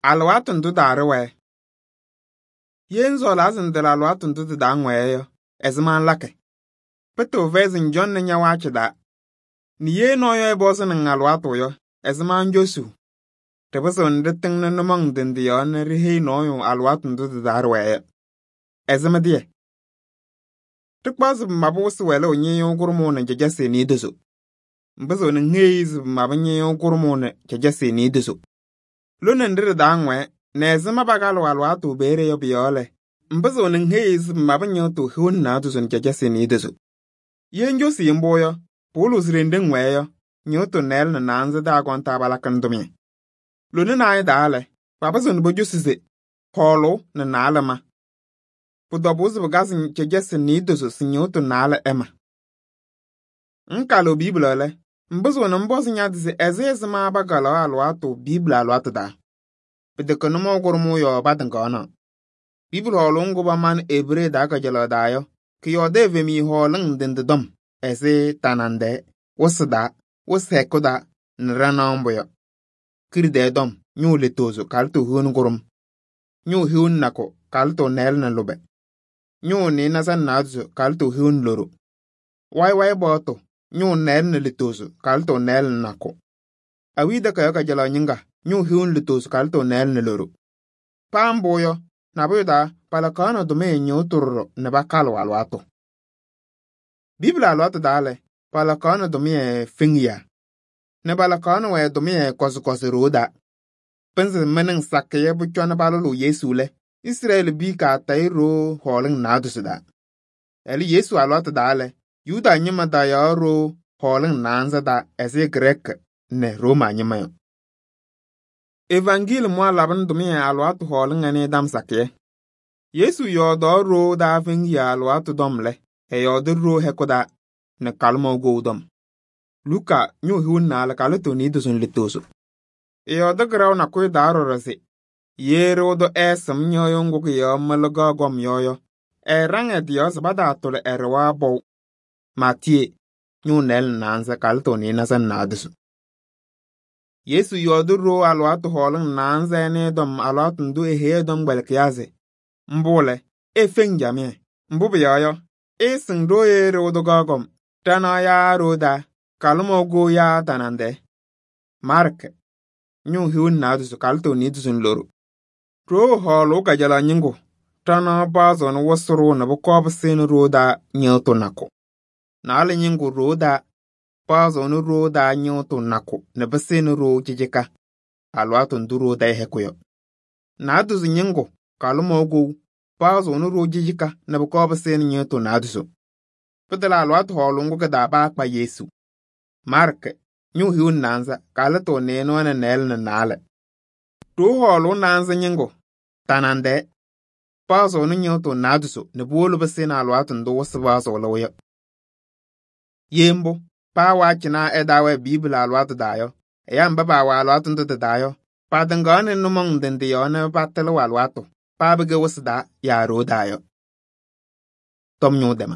Alɩwaatʋ ndʋ taa-ɖɩ-wɛ. Ye ŋsɔɔlaa se ŋtɩlɩ alɩwaatʋ ndʋ tɩ-taa ŋwɛɛ yɔ, ɛzɩma ŋlakɩ? Pɩtɩɣ fɛyɛ se ŋcɔŋnɩ ña-waacɩ taa. Nɛ ye nɔɔyʋ ɛpɔzɩnɩ-ŋ alɩwaatʋ yɔ, ɛzɩma ŋcosuu? Ɖɩpɩzɩɣnɩ ɖɩtɩŋnɩ nʋmɔŋ ndɩ ndɩ yɔɔ nɛ ɖiheyi nɔɔyʋ alɩwaatʋ ndʋ tɩ-taa ɖɩwɛɛ yɔ. Ɛzɩ mɩ-tɩyɛ? Ɖɩkpaɣ se pɩmabʋ wɩsɩ wɛlʋʋ ñɩyʋʋ kʋɖʋmʋʋ nɛ cɛcɛsɩ niidozo. Ŋpɩzɩɣ nɛ ŋheyi se pɩmabʋ ñɩyʋʋ kʋɖʋmʋʋ nɛ cɛcɛsɩ niidozo. Lone nɖɩ ɖɩ-taa ŋwɛɛ nɛ ɛzɩma pakalɩɣ alɩwaatʋ peeye yɔ pʋ-yɔɔ lɛ, ŋpɩzɩɣ nɛ ŋheyi se pɩmabʋ ñɩɣtʋ hiu nɛ naadozo nɛ cɛcɛsɩ niidozo. Ye ŋcosii mbʋ yɔ, pɩwɩlɩɣ se ɖenɖe ŋwɛɛ yɔ, ñɩɣtʋ nɩɩlɛ nɛ naanza taa kɔŋ-taa palakɩnɩ tʋmɩyɛ. Lona naayɛ taa lɛ, papɩzɩɣ nɛ pocosi se hɔɔlʋʋ nɛ naalɛ ma. Pʋ-tɔbʋʋ se pɩkazɩ cɛcɛsɩ niidozo se ñɩɣtʋ naalɛ ɛma. Ŋkalɩɣ Biibili lɛ, ŋpɩzɩɣ nɛ ŋpɔzɩ ña-tɩ se ɛzɩma pakalaɣ alɩwaatʋ Biibili alɩwaatʋ taa? Pɩtɛkɛ nʋmɔʋ kʋɖʋmʋʋ yɔɔ patɩŋaɣnaɣ. Biibili hɔɔlʋʋ ŋgʋ pamanɩ Ebree taa kajalaɣ taa yɔ, kɩyɔɔdɩ evemiye hɔɔlɩŋ ndɩ ndɩ tɔm ɛzɩ tanaŋ-tɛɛ, wɩsɩ taa, wɩsɩ hɛkʋ taa nɛ ɖanaɣ mbʋ yɔ. Kiɖi-tɛɛ tɔm, ñʋʋ letozo kalɩtʋ hiu nɛ kʋɖʋm, ñʋʋ hiu nɛ nakʋ kalɩtʋ nɩɩlɛ nɛ lʋbɛ, ñʋʋ nɩɩnaza nɛ naadozo kalɩtʋ hiu nɛ loɖo, wayɩ-wayɩ baɣtʋ, ñʋʋ nɩɩlɛ nɛ letozo kalɩtʋ nɩɩlɛ nɛ nakʋ. Awiya takayaɣ kajalaɣ ñɩŋga, ñʋʋ hiu nɛ letozo kalɩtʋ nɩɩlɛ nɛ loɖo. Paa mbʋ yɔ, nabʋyʋ taa palakaɣnɩ tʋmɩyɛ ñɩɣtʋ ɖɔɖɔ nɛ pakalɩɣ alɩwaatʋ. Biibili alɩwaatʋ taa lɛ, palakaɣnɩ tʋmɩyɛ feŋiyaa nɛ palakaɣnɩ-wɛ tʋmɩyɛ kɔzɩ-kɔzɩ ɖoo taa. Pɩnzɩ mɩnɩŋ sakɩyɛ pʋcɔ nɛ palʋlʋʋ Yesu lɛ, Israɛlɩ piya kaatayɩ ɖoo hɔɔlɩŋ naadozo taa. Ɛlɛ Yesu alɩwaatʋ taa lɛ, Yuda ñɩma tayaɣ ɖoo hɔɔlɩŋ naanza taa ɛzɩ Grɛɛkɩ nɛ Rooma ñɩma yɔ. Evangeelɩmʋwa labɩnɩ tʋmɩyɛ alɩwaatʋ hɔɔlɩŋ ɛnɛ dam sakɩyɛ. Yesu yɔɔdaɣ ɖoo daa feŋiyaa alɩwaatʋ tɔm lɛ, ɛyɔɔdɩ ɖoo hɛkʋ taa nɛ kalɩmɔʋ kou tɔm. Luka ñʋʋ hiu nɛ naalɛ kalɩtʋ niidozo nɛ letozo. Ɛyɔɔdɩ kɩraʋ nakʋyʋ taa ɖɔɖɔ se ye ɖɩɣa tʋ ɛɛsɩm ñɩɣyʋʋ ŋgʋ kɩ-yɔɔ mɩlɩgaɣ gɔm yɔ, ɛɛɖaŋ ɛ-tɩ yɔɔ se pataatʋlɩ ɛɖɩɣa pɔʋ. Maatiyee ñʋʋ nɩɩlɛ nɛ naanza kalɩtʋ nɩɩnaza nɛ naadozo. Yesu yɔɔdɩ ɖoo alɩwaatʋ hɔɔlɩŋ naanza ɛnɛ tɔm alɩwaatʋ ndʋ eheyi ɛ-tɔmkpɛlɩkɩyaa se mbʋ lɛ, efeŋ camɩyɛ. Mbʋ pʋyɔɔ yɔ, ɩɩsɩŋ ɖoo ye ɖɩɣa tʋ gaɣ gɔm, ɖanaɣ yaa ɖoo taa, kalɩmɔʋ kou yaa tanaŋ-tɛɛ. Maarkɩ ñʋʋ hiu nɛ naadozo kalɩtʋ niidozo nɛ loɖo. Ɖoo hɔɔlʋʋ kajalaɣ ñɩŋgʋ, ɖanaɣ paɣzɩɣnɩ wɩsɩ ɖʋʋ nɛ pʋkɔɔ pɩsɩnɩ ɖoo taa ñɩɣtʋ nakʋ. Naalɛ ñɩŋgʋ ɖoo taa paɣzɩɣnɩ ɖoo taa ñɩɣtʋ nakʋ nɛ pɩsɩnɩ ɖoo cɩcɩka alɩwaatʋ ndʋ ɖoo tayɩ hɛkʋ yɔ. Naadozo ñɩŋgʋ kalɩmɔʋ kou paɣzɩɣnɩ ɖoo cɩcɩka nɛ pʋkɔɔ pɩsɩnɩ ñɩɣtʋ naadozo. Pɩtɛlɛ alɩwaatʋ hɔɔlʋʋ ŋgʋ kɩ-taa paakpa Yesu. Maarkɩ ñʋʋ hiu nɛ naanza kalɩtʋ nɩɩnʋwa nɛ nɩɩlɛ nɛ naalɛ. Ɖoo hɔɔlʋʋ naanza ñɩŋgʋ tanaŋ-tɛɛ paɣzɩɣnɩ ñɩɣtʋ naadozo nɛ puwolo pɩsɩnɩ alɩwaatʋ ndʋ wɩsɩ paɣzɩɣlɩɣ yɔ. Ye mbʋ, paa waacɩnaa ɛtaawɛɛ Biibili alɩwaatʋ taa yɔ, ɛyaa mba paawɛ alɩwaatʋ ndʋ tɩ-taa yɔ, patɩŋaɣnɩ nʋmɔŋ ndɩ ndɩ yɔɔ nɛ patɩlɩɣ alɩwaatʋ, paa pɩkɛ wɩsɩ taa yaa ɖoo taa yɔ. Tɔm ñʋʋ dɛma.